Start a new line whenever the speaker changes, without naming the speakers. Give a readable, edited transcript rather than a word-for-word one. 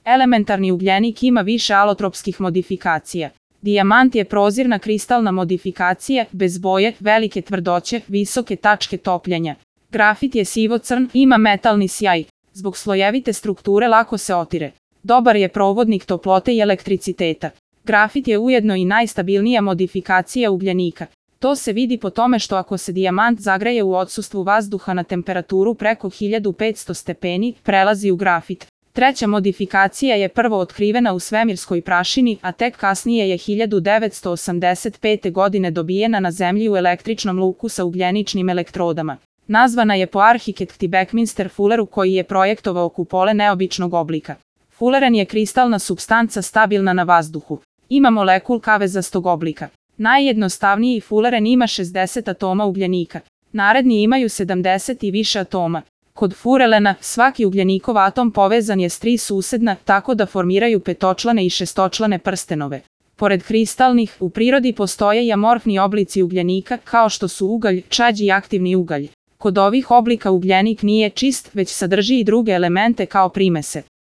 Elementarni ugljenik ima više alotropskih modifikacija. Dijamant je prozirna kristalna modifikacija, bez boje, velike tvrdoće, visoke tačke topljenja. Grafit je sivo-crn, ima metalni sjaj. Zbog slojevite strukture lako se otire. Dobar je provodnik toplote i elektriciteta. Grafit je ujedno i najstabilnija modifikacija ugljenika. To se vidi po tome što ako se dijamant zagreje u odsustvu vazduha na temperaturu preko 1500 stepeni, prelazi u grafit. Treća modifikacija je prvo otkrivena u svemirskoj prašini, a tek kasnije je 1985. godine dobijena na Zemlji u električnom luku sa ugljeničnim elektrodama. Nazvana je po arhitekti Buckminster Fulleru koji je projektovao kupole neobičnog oblika. Fulleren je kristalna supstanca stabilna na vazduhu. Ima molekul kavezastog oblika. Najjednostavniji Fulleren ima 60 atoma ugljenika. Naredni imaju 70 i više atoma. Kod furelena, svaki ugljenikov atom povezan je s 3 susedna, tako da formiraju petočlane i šestočlane prstenove. Pored kristalnih, u prirodi postoje i amorfni oblici ugljenika, kao što su ugalj, čađ i aktivni ugalj. Kod ovih oblika ugljenik nije čist, već sadrži i druge elemente kao primese.